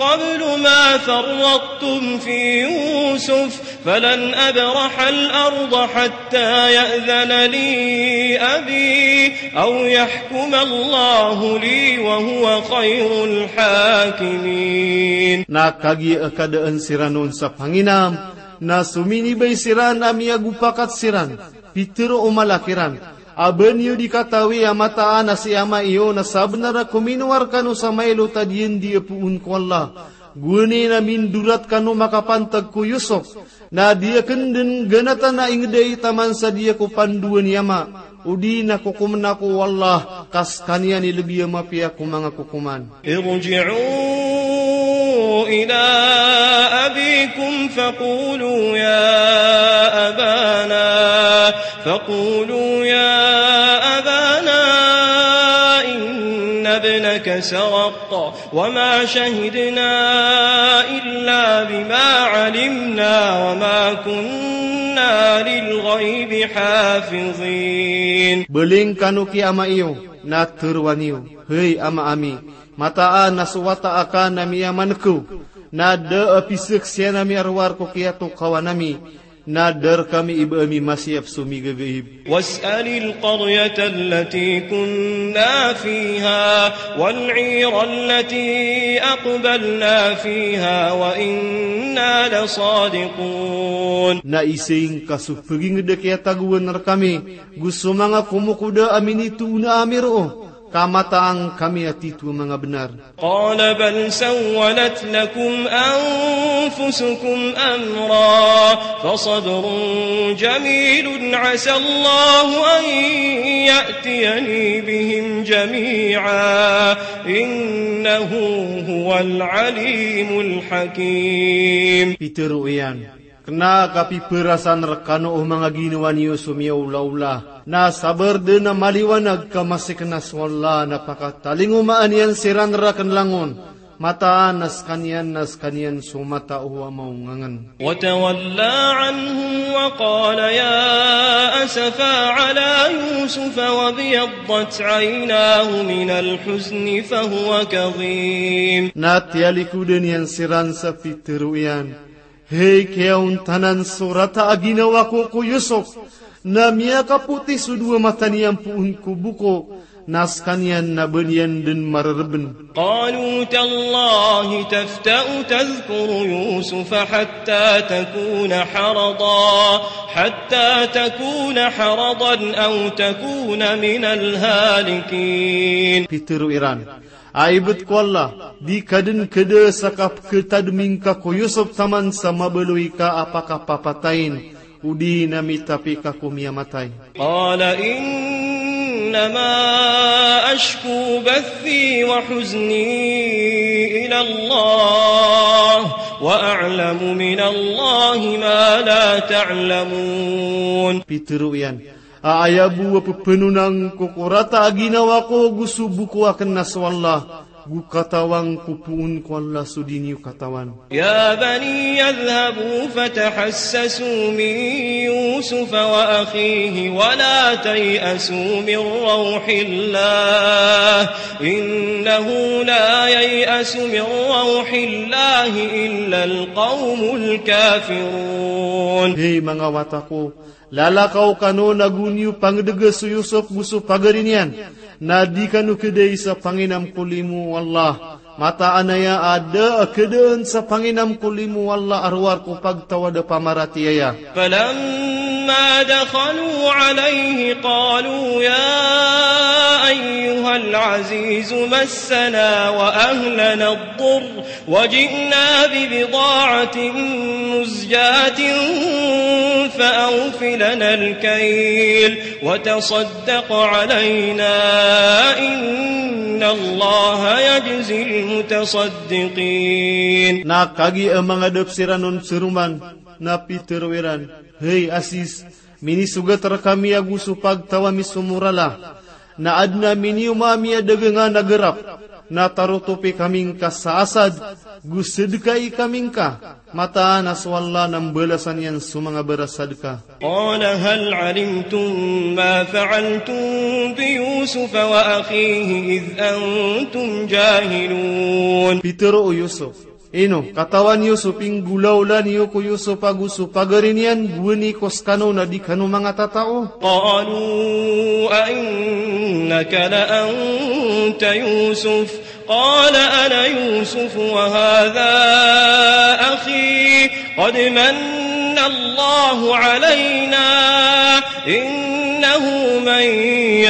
قبل ما فرطتم في يوسف فلن أبرح الأرض حتى يأذن لي أبي أو يحكم الله لي وهو خير الحاكمين. Na kagiya kadaan siran on sa panginam, na sominibay siran a miyagopakat siran. Pitharo o mala kiran, a ba niyo di katawi a mataan a si ama iyo na sabnar a kominowa rkano sa mailot a diyandi a poon ko Allah. Gowani na mindorat kano makapantag ko Yusuf, na di akn dn ganatan a ingd ai taman sa di ako pandowan i ama, odi na kokomn ako o Allah, ka skaniyan i lbi a mapiya ko manga kokoman. ارجعوا إلى أبيكم فقولوا يا أبانا، فقولوا يا أبانا إن ابنك سرق وما شهدنا إلا بما علمنا وما كنا كنا للغيب حافظين. Baling kano ki ama iyo, na tharoa niyo, hay ama ami, mataan a so wata aka na miyamankaw, na da a pisaksian ami a rowar ko kiyatokawan ami, na da rkami i ba ami masiyap so migagaib. واسأل القرية التي كنا فيها والعير التي أقبلنا فيها وإنا لصادقون. Na isay ngka so pagingd a kiyatagoan rkami, go so manga komokoda a minitoona ami roo, ka mataan kami a tito a manga bnar. قال بل سولت لكم أنفسكم أمرا فصبر جميل عسى الله أن يأتيني بهم جميعا إنه هو العليم الحكيم. Pitharo iyan, kna a kapipharasan rkano o manga ginawa niyo so miyaolaola. Na sabar dn a maliwanag ka masii kna so Allah na pakatalingomaan iyan siran rakn langon, mataan a skaniyan na skaniyan so matao a maongangn. وتولى عنهم وقال يا أسفى على يوسف وابيضت عيناه من الحزن فهو كظيم. Na tiyalikod iyan siran sa pitharo iyan, hay kiyaontanan so rata a ginawa ko ko Yusuf, na miyakapoti so dowa mata niyan poon ko boko, na skaniyan na ba niyan dn marerebn. قالوا تالله تفتأ تذكر يوسف حتى تكون حرضا، حتى تكون حرضا أو تكون من الهالكين. Pitharo iran, a ibt ko Allah, di ka dn kda sa kapkhatadmi ngka ko Yusuf taman sa mabaloy ka a pakapapatayin, odi na mitapi ka ko miyamatay. قال إنما أشكو بثي وحزني إلى الله وأعلم من الله ما لا تعلمون. Pitharo iyan, a aya bo a pphanonan ko ko rata a ginawa ko go so boko akn na so Allah, go katawan ko poon ko Allah so di niyo katawan. يا بني اذهبوا فتحسسوا من يوسف وأخيه ولا تيأسوا من روح الله إنه لا ييأس من روح الله إلا القوم الكافرون. Hay manga wata ko, lalakaw kano na go niyo pangdga so Yusuf go so pagari niyan, na di kano kdai sa panginam ko limo o Allah. Mataan aya a da a kdaan sa panginam ko limo o Allah a rowar ko pagtawad a pamaratiyaya. فلما دخلوا عليه قالوا يا أيها العزيز مسنا وأهلنا الضر وجئنا ببضاعة مزجاة فأوف لنا الكيل وتصدق علينا إن الله يجزي المتصدقين. Na kagiya mangadap siran on so roman, na pitharo iran, hay Aziz, minisogat rkami ago so pagtaw ami so morala, na adn a minioma ami a dagangan a grap, na tarotopi kami ngka sa asad, go sadkai kami ngka, mataan a so Allah na mbalasan iyan so manga barasadka. قال هل علمتم ما فعلتم بيوسف وأخيه إذ أنتم جاهلون. Pitharo o Yusuf, ino, katawan iyo so pinggolaola niyo ko Yusuf ago so pagari niyan gowani ko skano na di kano manga tatao? قالوا أئنك لأنت يوسف قال أنا يوسف وهذا أخي قد من الله علينا إنه من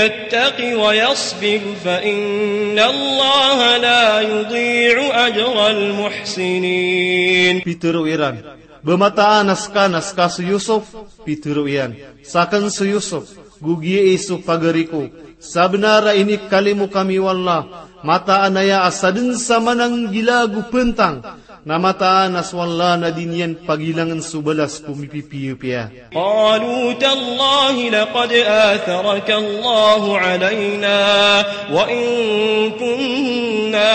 يتق ويصبر فإن الله لا يضيع أجر المحسنين. Pitharo iran, ba mataan a ska na ska so Yusuf? Pitharo iyan, sakn so Yusuf, go giya i so pagari ko. Sabnar a inikalimo kami o Allah, mataan aya a sadn sa mananggila ago pantang, na mataan a so Allah na di niyan pagilangn so balas ko mipipiyapiya. قالوا تالله لقد آثرك الله علينا وإن كنا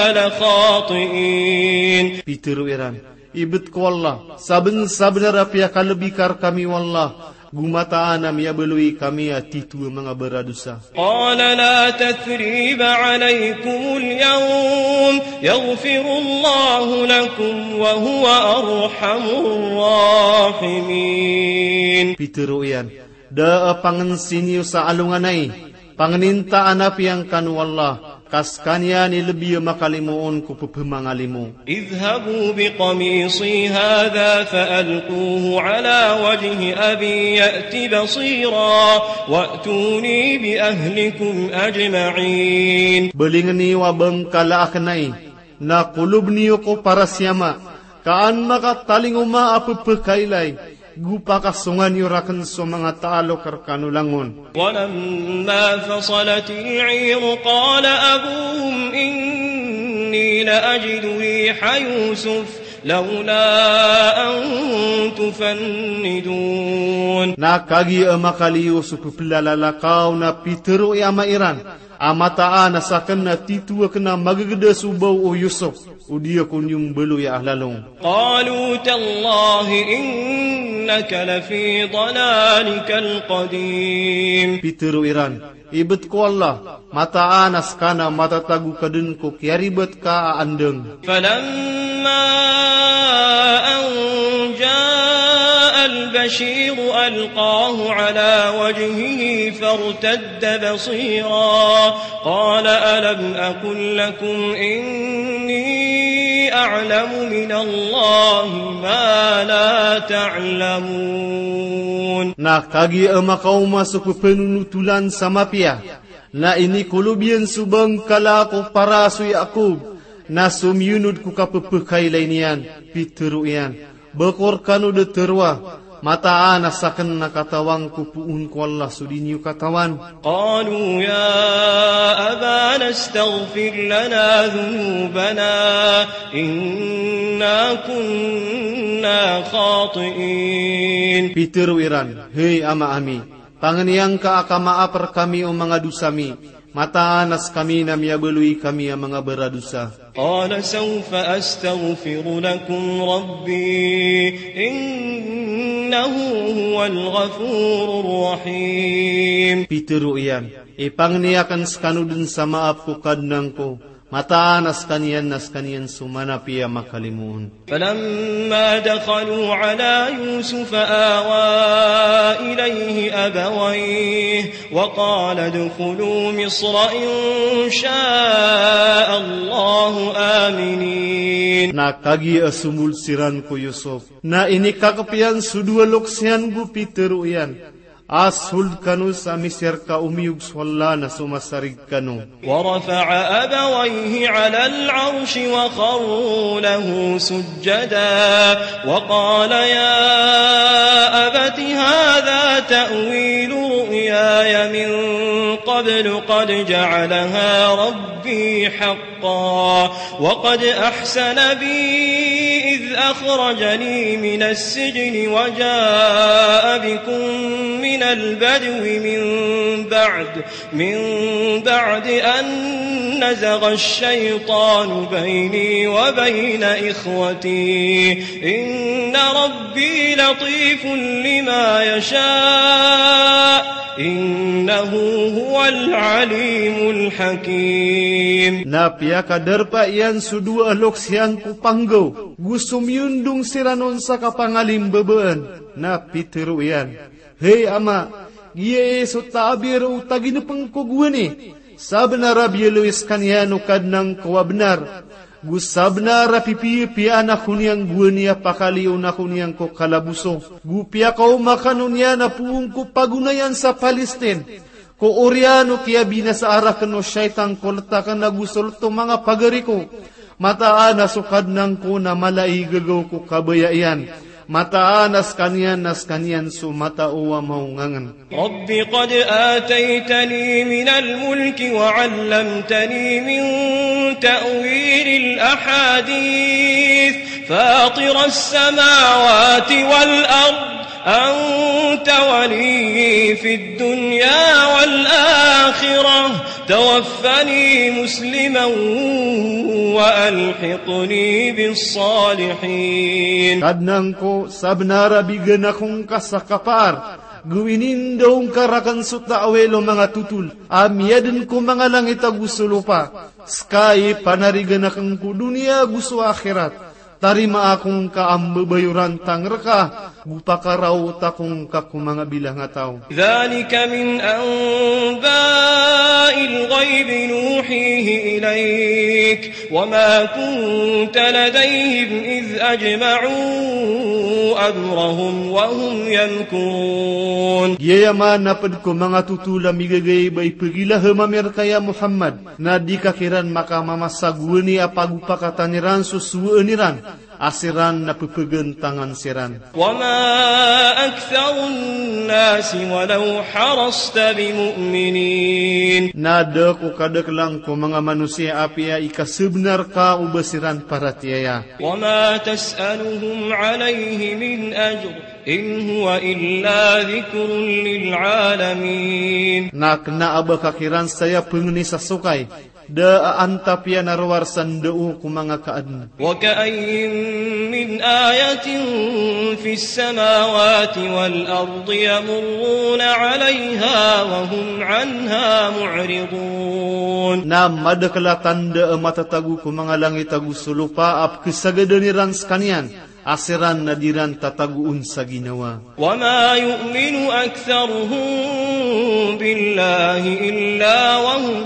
لخاطئين. Pitharo iran, Ibet ko Allah, sabensabenar a piyakalbi ka rekami o Allah, go mataan a miyabaloy kami a titho a manga baradosa. قال لا تثريب عليكم اليوم يغفر الله لكم وهو أرحم الراحمين. Pitharo iyan, da a pangensi niyo sa alongan ai, pangenintaan a piyangkan o Allah, ka sekaniyan i lebi a makalimoon ko pepemangalimo. اذهبوا بقميصي هذا فألقوه على وجه أبي يأت بصيرا وأتوني بأهلكم أجمعين. Belingen iyo a bengkala aken ai, na koloben iyo ko paras i ama, ka an makatalingoma a pepekailay, go pakasongan iyo raken so manga talok rekano langon. ولما فصلت العير قال أبوهم إني لأجد ريح يوسف لولا أن تفندون. Na kagiya a makaliyo so pepelalakaw na pitharo i ama iran, a mataan a saken na titho aken a magegeda so baw o Yusuf, o di ako niyo mbaloy a alalong. قالوا تالله إنك لفي ضلالك القديم. Pitharo iran, ibet ko Allah, mataan a seka na matatago ka den ko kiyaribat ka a andang. فلما أن جاء البشير ألقاه على وجهه فارتد بصيرا قال ألم أقل لكم إني أعلم من الله ما لا تعلمون. Na kagiya a makaoma so pepenonotolan sa mapiya, na inikolob iyan so bengkala ko paras o Yakob, na somiyonod ko kapepekailay niyan, pitharo iyan, ba ko rekano da tharoa, mataan a saken na katawan ko poon ko Allah so di niyo katawan. قالوا يا أبانا استغفر لنا ذنوبنا إنا كنا خاطئين. Pitharo iran, hay ama ami, pangeniya ngka a kamaap rekami o manga dosa mi, mataan a sekami na miyabaloy kami a manga baradosa. قال سوف أستغفر لكم ربي إنه هو الغفور الرحيم. Pitharo iyan, ipangni aken sekano den sa maap ko Kadnan ko, mataan a sekaniyan na sekaniyan so manapiya a makalimoon. فلما دخلوا على يوسف آوى إليه أبويه وقال ادخلوا مصر إن شاء الله آمنين. Na kagiya a somold siran ko Yusuf, na inikakep iyan so dowa loks iyan go pitharo iyan, a sold kano sa Misir ka omiyog so Allah na so masarig kano. ورفع أبويه على العرش وخروا له سجدا وقال يا أبت هذا تأويل رؤياي من قبل قد جعلها ربي حقا وقد أحسن بي إذ أخرجني من السجن وجاء بكم من البدو من بعد من بعد أن نزغ الشيطان بيني وبين إخوتي إن ربي لطيف لما يشاء إنه هو العليم الحكيم. Na piyakadarpa iyan so dowa a loks iyan ko panggaw, go somiyondong siran on sa kapangalimbabaan, na pitharo iyan, hay ama, giya i so taabir o taginepeng ko gowani, sabenar a biyaloy sekaniyan o Kadnan ko a benar, go sabenar a pipiyapiyaan ako niyan gowani a pakaliyon ako niyan ko kalaboso, go piyakaoma kano niyan a poon ko pagonayan sa Palestine, ko oriyan o kiyabinasaan raken o shaytan ko letaken ago so leto manga pagari ko, mataan a so Kadnan ko na mala i gagaw ko kabaya iyan, mataan a sekaniyan na sekaniyan so matao a maongangen. رب قد آتيتني من الملك وعلمتني من تأويل الأحاديث فاطر السماوات والأرض أنت وليي في الدنيا والآخرة توفني مسلما وألحقني بالصالحين. Kadnan ko, sabenar a bigan ako ngka sa kapaar, go inindao ngka raken so taawil o manga totol a miyaden ko manga langit ago so lopa, seka i panarigan aken ko doniya ago so akhirat. Tarimaa ako ngka a mbebayorantang reka, go pakaraota ako ngka ko manga bilang a taw. ذلك من أنباء الغيب نوحيه إليك وما كنت لديهم إذ أجمعوا أمرهم وهم يمكرون. Giyaya man a ped ko manga totol a migagayb a ipegilahem ami reka ya Muhammad, na di ka kiran makamamasa gowani a pagopakatan iran so sowaan iran a siran na pepegantangan siran. وما أكثر الناس ولو حرصت بمؤمنين. Na da ko kadekelan ko manga manosiya apiya ikasebenar ka o ba siran paratiyaya. وما تسألهم عليه من أجر إن هو إلا ذكر للعالمين. Na kena a ba ka kiran saya pengeni sa sokay, da a antap iyan a rowar sa ndao ko manga kaaden. وكأين من آية في السماوات والأرض يمرون عليها وهم عنها معرضون. Na madekel a tanda a matatago ko manga langit ago so lopa a pekesagadan iran sekaniyan, a siran na di ran tatagoon sa ginawa. وما يؤمن أكثرهم بالله إلا وهم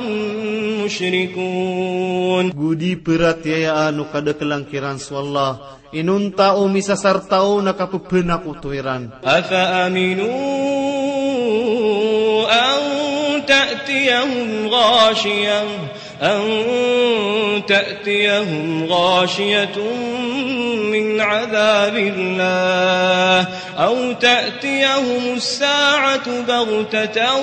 مشركون. Go di peratiyayaan o kadekelan kiran so Allah, inonta o misasarta on a kapepenakoto iran. أفأمنوا أن تأتيهم غاشية أن تأتيهم غاشية من عذاب الله أو تأتيهم الساعة بغتة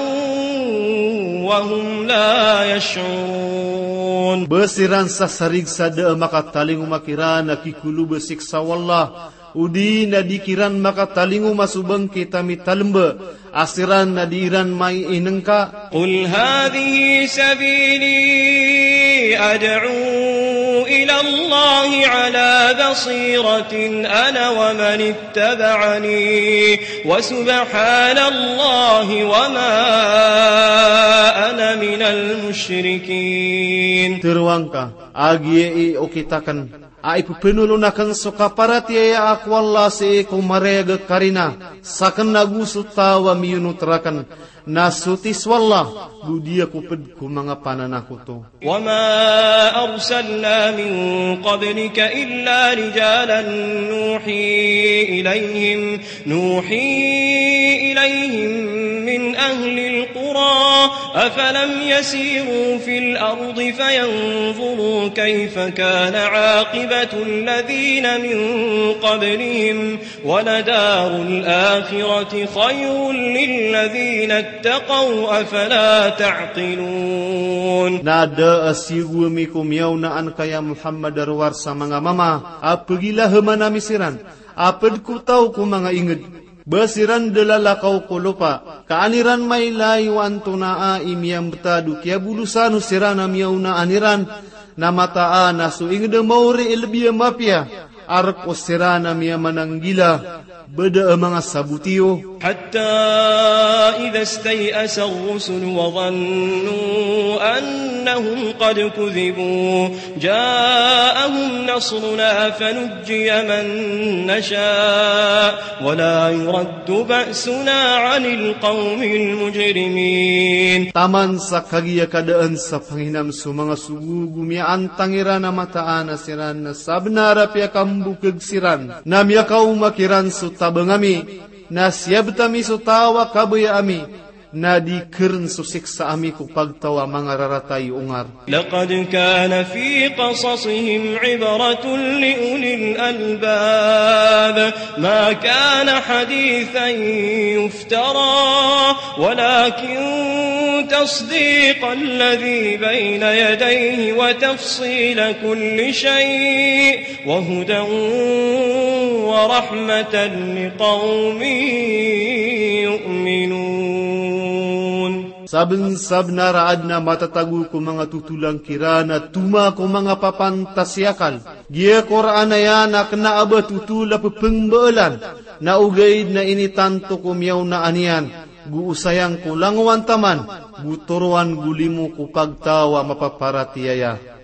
وهم لا يشعرون. Ba siran sasarig sa da a makatalingoma kiran a kikolob a siksa o Allah, odi na di kiran makatalingoma so bangkit a mitalemba, a siran na di iran mainengka. قل هذه سبيلي أدعو إلى الله على بصيرة أنا ومن اتبعني وسبحان الله وما أنا من المشركين. Teroang ka, a giya i okit aken, a ipepenolon aken so kaparatiyaya ko Allah sii ko marayag a karina, saken ago so taw a miyonot raken, na sotis o Allah, go di ako ped ko manga pananakoto. وما أرسلنا من قبلك إلا رجالا نوحي إليهم، نوحي إليهم من أهل القرى، أفلم يسيروا في الأرض فينظروا كيف كان عاقبة الذين من قبلهم، ولدار الآخرة خير للذين اتقوا، أفلا تعقلون. Na da a siyogo ami ko miyaonaan ka ya Muhammad a rowar sa manga mama a pegilaheman ami siran, a ped ko taw ko manga inged. Ba siran da lalakaw ko lopa, ka an iran mailay o antonaa i miyambetad o kiyabolosan o siran a miyaonaan iran, na mataan a so inged a maori i lebi a mapiya, a rek o siran a miyamananggila, ba da a manga sabot iyo. حتى إذا استيأس الرسل وظنوا أنهم قد كذبوا جاءهم نصرنا فنجي من نشاء ولا يرد بأسنا عن القوم المجرمين. Taman sa kagiya kadaan sa panghinam so manga sogo go miyaantang iran a mataan a siran na sabenar a piyakambokeg siran, na miyakaoma kiran so tabang ami, na siyabet ami so taw a kabaya ami, na di keren so siksa ami ko pagtaw a manga rarata i ongar. لقد كان في قصصهم عبرة لأولي الألباب ما كان حديثا يفترى ولكن تصديق الذي بين يديه وتفصيل كل شيء وهدى ورحمة لقوم يؤمنون. Sabnsabnar a adn a matatago ko manga totolang kiran a toma ko manga papantas i akal. Giya Qur'an aya na kna a ba totol a pphmbaalan, na ogaid na initanto ko miyaonaan iyan, go osayang ko langowan taman, go toroan go limo ko pagtaw a mapaparatiyaya.